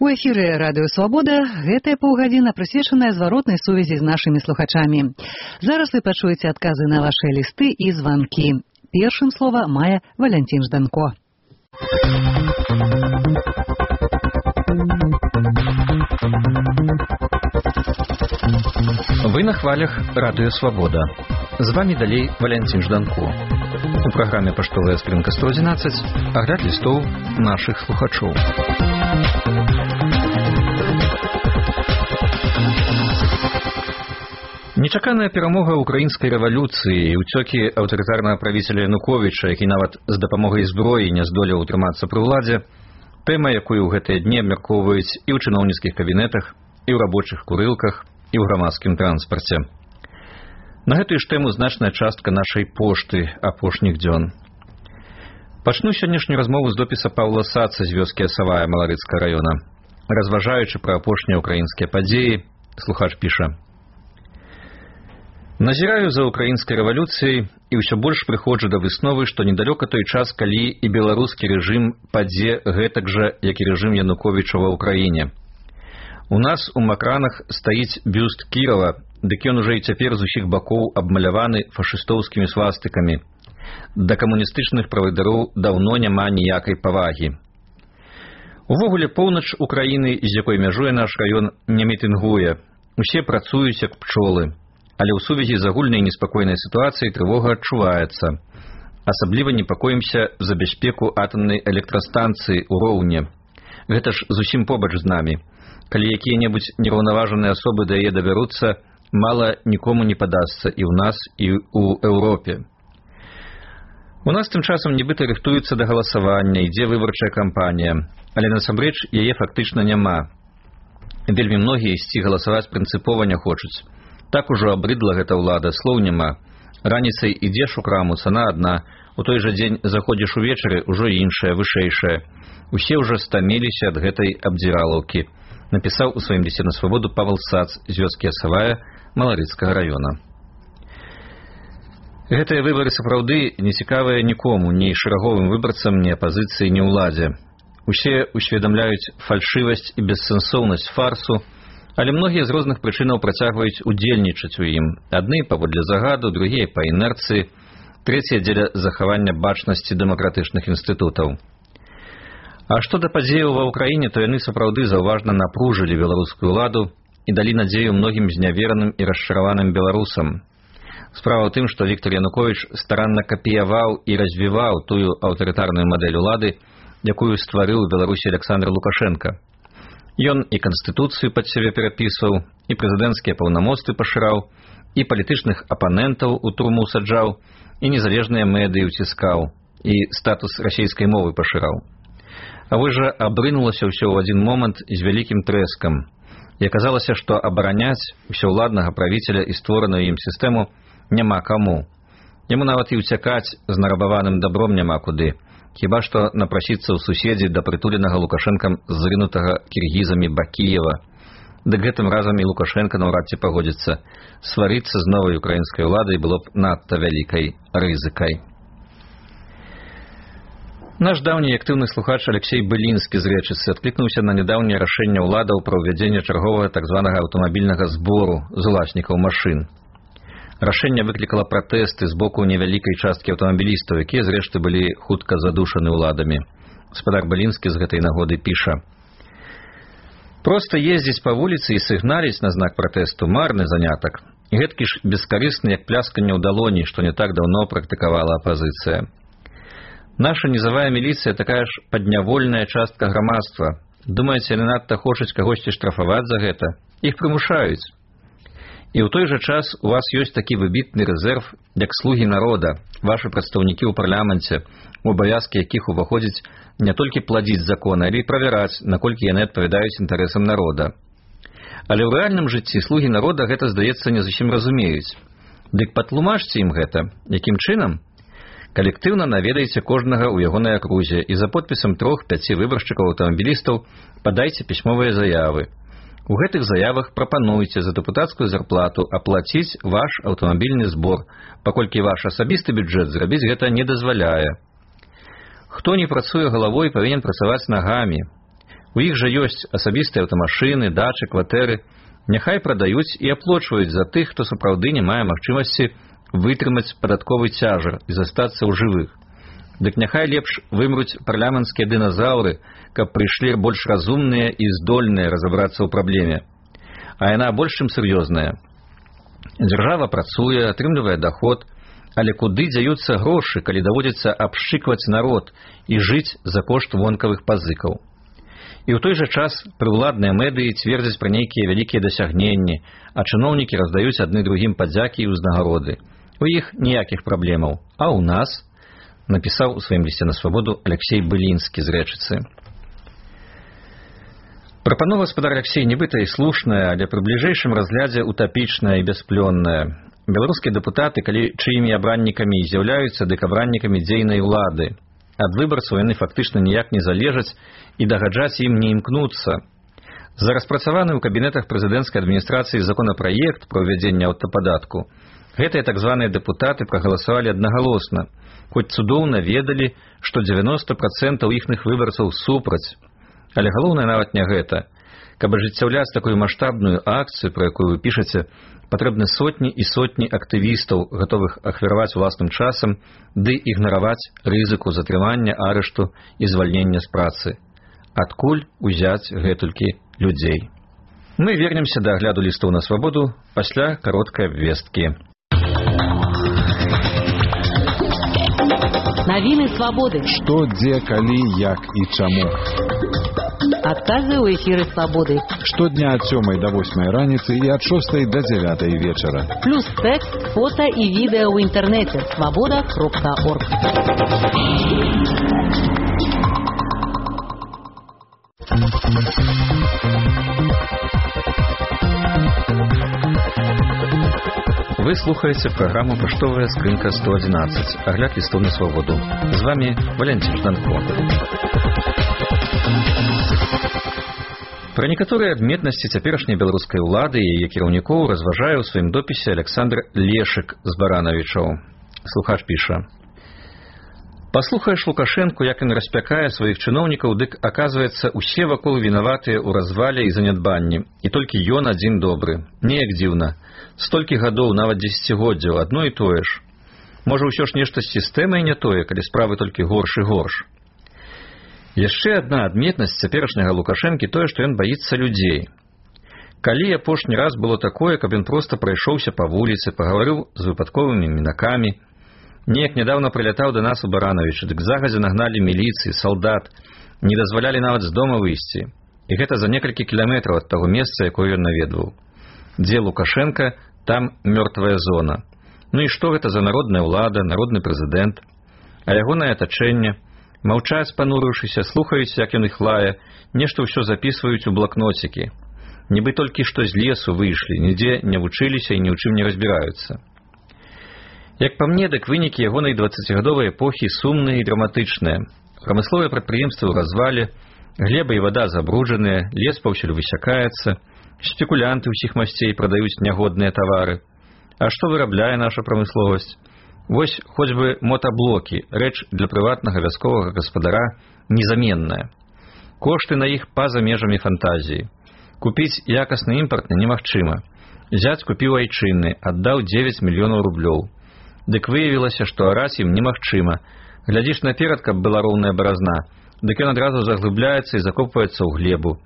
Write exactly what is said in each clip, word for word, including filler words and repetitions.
У эфіры радыё «Свабода» гэтая паўгадзіна прысвечаная зваротнай сувязі з нашымі слухачамі. Зараз вы пачуеце адказы на вашы лісты і званкі. Першым слова мае Валянцін Жданко. Вы на хвалях радыё «Свабода». З вами далей Валянцін Жданко. У праграме «Паштовая скрынка сто адзінаццаць» агляд лістоў нашых слухачоў. Нечаканая перамога ўкраінскай рэвалюцыі і ўцёкі аўтарытарнага правіцеля Януковіча, які нават з дапамогай зброі не здолеў утрымацца пры ўладзе, тэма, якую ў гэтыя дні абмяркоўваюць і ў чыноўніцкіх кабінетах, і ў рабочых курылках, і ў грамадскім транспарце. На гэтую ж тэму значная частка нашай пошты апошніх дзён. Пачну сённяшнюю размову з допіса Паўла Саца з вёскі Асавая Маларыцкага раёна. Разважаючы пра апошнія ўкраінскія падзеі, слухач піша: «Назіраю за украінскай рэвалюцыяй і ўсё больш прыходжу да высновы, што недалёка той час, калі і беларускі рэжым падзе гэтак жа, як і рэжым Януковіча ва ўкраіне. У нас у Макранах стаіць бюст Кірова, дык ён ужо і цяпер з усіх бакоў абмаляваны фашыстоўскімі свастыкамі. Да камуністычных правадыроў даўно няма ніякай павагі. Увогуле поўнач Украіны, з якой мяжуе наш раён, не мітынгуе. Усе працуюць як пчолы. Але ў сувязі з агульнай неспакойнай сітуацыяй трывога адчуваецца. Асабліва непакоімся за бяспеку атамнай электрастанцыі ў Роўне. Гэта ж зусім побач з намі. Калі якія-небудзь нераўнаважаныя асобы да яе дабяруцца, мала нікому не падасца і ў нас, і ў Еўропе. У нас тым часам нібыта рыхтуецца да галасавання, ідзе выбарчая кампанія, але насамрэч яе фактычна няма. Вельмі многія ісці галасаваць прынцыпова не хочуць. Так ужо абрыдла гэта ўлада, слоў няма. Раніцай ідзеш у краму, цана адна, у той жа дзень заходзіш увечары, ужо іншая, вышэйшая. Усе ўжо стаміліся ад гэтай абдзіралаўкі, напісаў у сваім лісце на свабоду Павел Сац з вёскі Асавая Маларыцкага раёна. Гэтыя выбары сапраўды не цікавыя нікому, ні шэраговым выбарцам, ні апазіцыі, ні ўладзе. Усе усведамляюць фальшывасць і бессэнсоўнасць фарсу, але многія з розных прычынаў працягваюць удзельнічаць у ім. Адны паводле загаду, другія па інерцыі, трэція дзеля захавання бачнасці дэмакратычных інстытутаў. А што да падзеяў ва ўкраіне, то яны сапраўды заўважна напружылі беларускую ўладу і далі надзею многім знявераным і расчараваным беларусам. Справа ў тым, што Віктор Януковіч старанна капіяваў і развіваў тую аўтарытарную мадэль улады, якую стварыў у Беларусі Александр Лукашенко. Ён і канстытуцыю пад сябе перапісваў, і прэзідэнцкія паўнамоцтвы пашыраў, і палітычных апанентаў у турму саджаў, і незалежныя медыі ўціскаў, і статус расійскай мовы пашыраў. А вось жа абрынулася ўсё ў адзін момант з вялікім трэскам. І аказалася, што абараняць усеўладнага правіцеля і створаную ім сістэму няма каму. Яму нават і ўцякаць з нарабаваным дабром няма куды. Хіба што напрасіцца ў суседзі да прытуленага Лукашэнкам зрынутага кіргізамі Бакіева. Дык гэтым разам і Лукашенка наўрад ці пагодзіцца. Сварыцца з новай украінскай уладай было б надта вялікай рызыкай. Наш даўні актыўны слухач Алексей Былінскі з Рэчыцы адклікнуўся на нядаўняе рашэнне ўладаў пра ўвядзенне чарговага так званага аўтамабільнага збору з уласнікаў машын. Рашэнне выклікала пратэсты з боку невялікай часткі аўтамабілістаў, якія, зрэшты, былі хутка задушаны ўладамі. Гаспадар Былінскі з гэтай нагоды піша: «Проста ездзіць па вуліцы і сігналіць на знак пратэсту – марны занятак. І гэткі ж бескарысны, як плясканне ў далоні, што не так даўно практыкавала апазіцыя. Наша нізавая міліцыя такая ж паднявольная частка грамадства. Думаеце, яны надта хочуць кагосьці штрафаваць за гэта? Іх прымушаюць. І ў той жа час у вас ёсць такі выбітны рэзерв, як слугі народа, вашы прадстаўнікі ў парламенце, у абавязкі якіх уваходзіць не толькі пладзіць законы, але і правяраць, наколькі яны адпавядаюць інтарэсам народа. Але ў рэальным жыцці слугі народа гэта, здаецца, не зусім разумеюць. Дык патлумачце ім гэта. Якім чынам? Калектыўна наведайце кожнага ў ягонай акрузе і за подпісам трох-пяці выбаршчыкаў аўтамабілістаў падайце пісьмовыя заявы. У гэтых заявах прапануйце за дэпутацкую зарплату аплаціць ваш аўтамабільны збор, паколькі ваш асабісты бюджэт зрабіць гэта не дазваляе. Хто не працуе галавой, павінен працаваць нагамі. У іх жа ёсць асабістыя аўтамашыны, дачы, кватэры. Няхай прадаюць і аплочваюць за тых, хто сапраўды не мае магчымасці вытрымаць падатковы цяжар і застацца ў жывых. Дык няхай лепш вымруць парламенцкія дыназаўры, каб прыйшлі больш разумныя і здольныя разабрацца ў праблеме. А яна больш чым сур'ёзная. Дзяржава працуе, атрымлівае даход, але куды дзяюцца грошы, калі даводзіцца абшчыкваць народ і жыць за кошт вонкавых пазыкаў? І ў той жа час прыўладныя медыі цвердзяць пра нейкія вялікія дасягненні, а чыноўнікі раздаюць адны другім падзякі і ўзнагароды. У іх ніякіх праблемаў. А ў нас, напісаў у сваім лісце на свабоду Алексей Былінскі з Рэчыцы. Прапанова гаспадар Алексей нібыта і слушная, але пры бліжэйшым разглядзе утапічная і бясплённая. Беларускія дэпутаты, калі чыімі абраннікамі з'яўляюцца, дык абраннікамі дзейнай улады. Ад выбарцаў яны фактычна ніяк не залежаць і дагаджаць ім не імкнуцца. За распрацаваны ў кабінетах прэзідэнцкай адміністрацыі законапраект пра ўвядзенне аўтападатку гэтыя так званыя дэпутаты прагаласавалі аднагалосна, хоць цудоўна ведалі, што дзевяноста працэнтаў іхных выбарцаў супраць. Але галоўнае нават не гэта. Каб ажыццяўляць такую маштабную акцыю, пра якую вы пішаце, патрэбны сотні і сотні актывістаў, гатовых ахвяраваць уласным часам, ды ігнараваць рызыку затрымання, арышту і звальнення з працы. Адкуль узяць гэтулькі людзей? Мы вернемся да агляду лістоў на свабоду пасля кароткай абвесткі. Навіны свабоды. Што, дзе, калі, як і чаму. Адказы ў эфіры свабоды. Штодня ад сёмай да восьмай раніцы і ад шостай да дзявятай вечара. Плюс тэкст, фота і відэа ў інтэрнэце. свабода кропка орг. Вы слухаеце праграму «Паштовая скрынка сто адзінаццаць», агляд лістоў на свабоду. З вами Валянцін Жданко. Пра некаторыя адметнасці цяперашняй беларускай улады і яе кіраўнікоў разважае ў сваім допісе Александр Лешык з Баранавічаў. Слухач піша: «Паслухаеш Лукашэнку, як ён распякае сваіх чыноўнікаў, дык, аказваецца, усе вакол вінаватыя ў развале і занядбанні, і толькі ён адзін добры. Неяк дзіўна. Столькі гадоў, нават дзесяцігоддзяў, адно і тое ж. Можа, ўсё ж нешта з сістэмай не тое, калі справы толькі горш і горш». Яшчэ адна адметнасць цяперашняга Лукашэнкі тое, што ён баіцца людзей. Калі апошні раз было такое, каб ён проста прайшоўся па вуліцы, пагаварыў з выпадковымі мінакамі. Неяк нядаўна прылятаў да нас у Баранавічы, дык загадзя нагналі міліцыі, салдат, не дазвалялі нават з дома выйсці. І гэта за некалькі кіламетраў ад таго месца, якое ён наведваў. Дзе Лукашенка, там мёртвая зона. Ну і што гэта за народная ўлада, народны прэзідэнт? А ягонае атачэнне? Маўчаць, панурыўшыся, слухаюць, як ён іх лае, нешта ўсё запісваюць у блакноцікі. Нібы толькі што з лесу выйшлі, нідзе не вучыліся і ні ў чым не разбіраюцца. Як па мне, дык вынікі ягонай дваццацігадовай эпохі сумныя і драматычныя. Прамысловыя прадпрыемствы ў развале, глеба і вада забруджаныя, лес паўсюль высякаецца, спекулянты ўсіх масцей прадаюць нягодныя тавары. А што вырабляе наша прамысловасць? Вось хоць бы мотаблокі, рэч для прыватнага вясковага гаспадара незаменная. Кошты на іх па-за межамі фантазіі. Купіць якасны імпартны немагчыма. Зяць купіў айчынны, аддаў дзевяць мільёнаў рублёў. Дык выявілася, што араць ім немагчыма. Глядзіш наперад, каб была роўная баразна, дык ён адразу заглыбляецца і закопваецца ў глебу.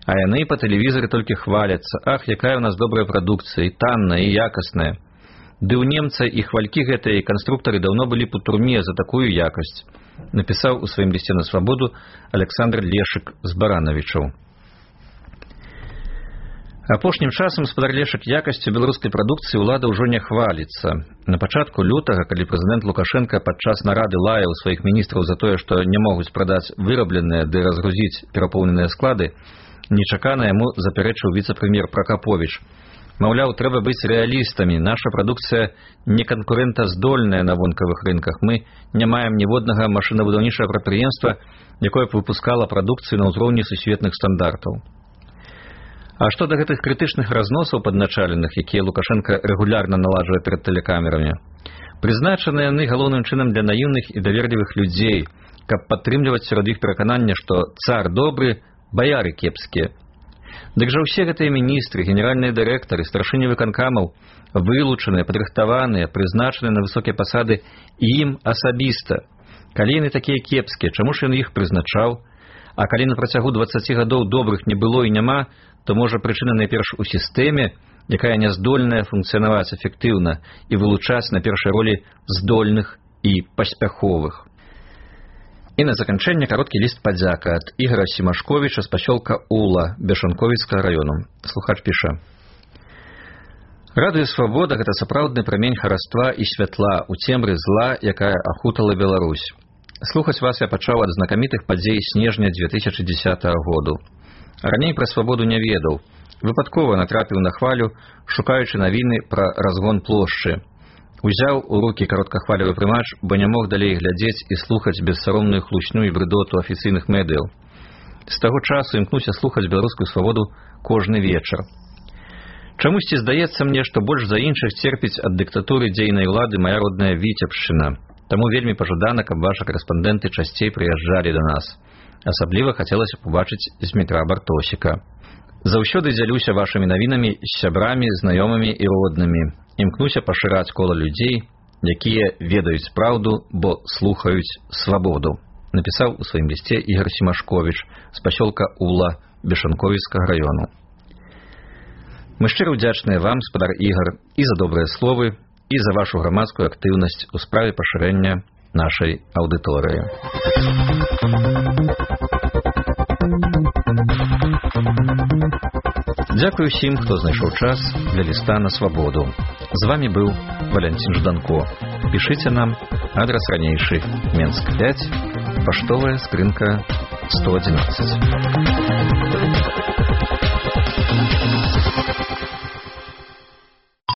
А яны па тэлевізары толькі хваляцца: ах, якая ў нас добрая прадукцыя, і танная, і якасная. Ды ў немца і хвалькі гэтыя і канструктары даўно былі б у турме за такую якасць, напісаў у сваім лісце на свабоду Александр Лешык з Баранавічаў. Апошнім часам гаспадар Лешык якасцю беларускай прадукцыі ўлада ўжо не хваліцца. На пачатку лютага, калі прэзідэнт Лукашенка падчас нарады лаяў сваіх міністраў за тое, што не могуць прадаць вырабленыя ды разгрузіць перапоўненыя склады, нечакана яму запярэчыў віцэ-прэм'ер Пракаповіч. Маўляў, трэба быць рэалістамі, наша прадукцыя не канкурэнтаздольная на вонкавых рынках. Мы не маем ніводнага машынабудаўнічага прадпрыемства, якое б выпускала прадукцыю на ўзроўні сусветных стандартаў. А што да гэтых крытычных разносаў падначаленых, якія Лукашенка рэгулярна наладжвае перад тэлекамерамі? Прызначаны яны галоўным чынам для наіўных і даверлівых людзей, каб падтрымліваць сярод іх пераканання, што цар добры, баяры кепскія. Дык жа ўсе гэтыя міністры, генеральныя дырэктары, старшыні выканкамаў вылучаныя, падрыхтаваныя, прызначаныя на высокія пасады ім асабіста. Калі яны такія кепскія, чаму ж ён іх прызначаў? А калі на працягу дваццаці гадоў добрых не было і няма, то можа прычына найперш у сістэме, якая няздольная функцыянаваць эфектыўна і вылучаць на першай ролі здольных і паспяховых. І на заканчэнне кароткі ліст падзяка ад Ігора Семашковіча з пасёлка Ула Бешанковіцкага раёну. Слухач піша: «Радыё Свабода — гэта сапраўдны прамень хараства і святла ў цемры зла, якая ахутала Беларусь. Слухаць вас я пачаў ад знакамітых падзей снежня дзве тысячы дзесятага году. Раней пра свабоду не ведаў. Выпадкова натрапіў на хвалю, шукаючы навіны пра разгон плошчы. Узяў у рукі кароткахвалевы прымач, бо не мог далей глядзець і слухаць бессаромную хлусню і брыдоту афіцыйных медыяў. З таго часу імкнуся слухаць беларускую свабоду кожны вечар. Чамусьці здаецца мне, што больш за іншых церпіць ад дыктатуры дзейнай улады мая родная Віцебшчына. Таму вельмі пажадана, каб вашы карэспандэнты часцей прыязджалі да нас. Асабліва хацелася б убачыць Змітра Бартосіка. Заўсёды дзялюся вашымі навінамі з сябрамі, знаёмымі і роднымі. Імкнуся пашыраць кола людзей, якія ведаюць праўду, бо слухаюць свабоду», напісаў у сваім лісце Ігор Семашковіч з пасёлка Ула Бешанковіцкага раёну. Мы шчыра ўдзячныя вам, спадар Ігор, і за добрыя словы, і за вашу грамадскую актыўнасць у справе пашырэння нашай аўдыторыі. Дзякую ўсім, хто знайшоў час для ліста на свабоду. З вами быў Валянцін Жданко. Пішыце нам, адрас ранейшы, Менск пяць, паштовая скрынка сто адзінаццаць.